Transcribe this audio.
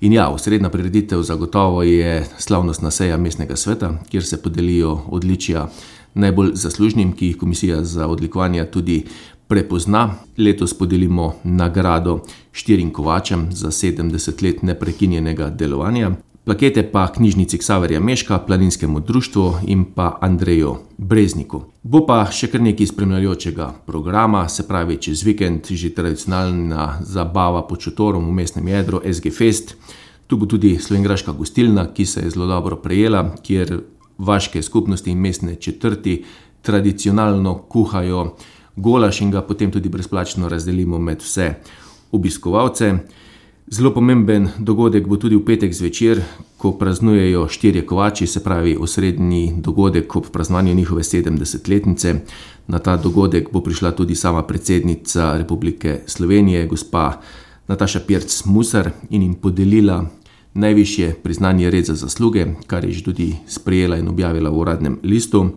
In ja, osrednja prireditev zagotovo je slavnostna seja mestnega sveta, kjer se podelijo odličja najbolj zaslužnim, ki jih Komisija za odlikovanja tudi prepozna. Letos podelimo nagrado 4 kovačem za 70 let neprekinjenega delovanja. Plakete pa Knjižnici Ksaverja Mežka, Planinskemu društvu in pa Andreju Brezniku. Bo pa še kar nekaj spremljajočega programa, se pravi čez vikend že tradicionalna zabava pod šotorom v mestnem jedru SG Fest. Tu bo tudi slovenjgraška gostilna, ki se je zelo dobro prejela, kjer vaške skupnosti in mestne četrti tradicionalno kuhajo golaž in ga potem tudi brezplačno razdelimo med vse obiskovalce. Zelo pomemben dogodek bo tudi v petek zvečer, ko praznujejo 4 kovači, se pravi osrednji dogodek ob praznovanju njihove 70-letnice. Na ta dogodek bo prišla tudi sama predsednica Republike Slovenije, gospa Nataša Pirc Musar, in jim podelila najvišje priznanje Red za zasluge, kar je že tudi sprejela in objavila v uradnem listu.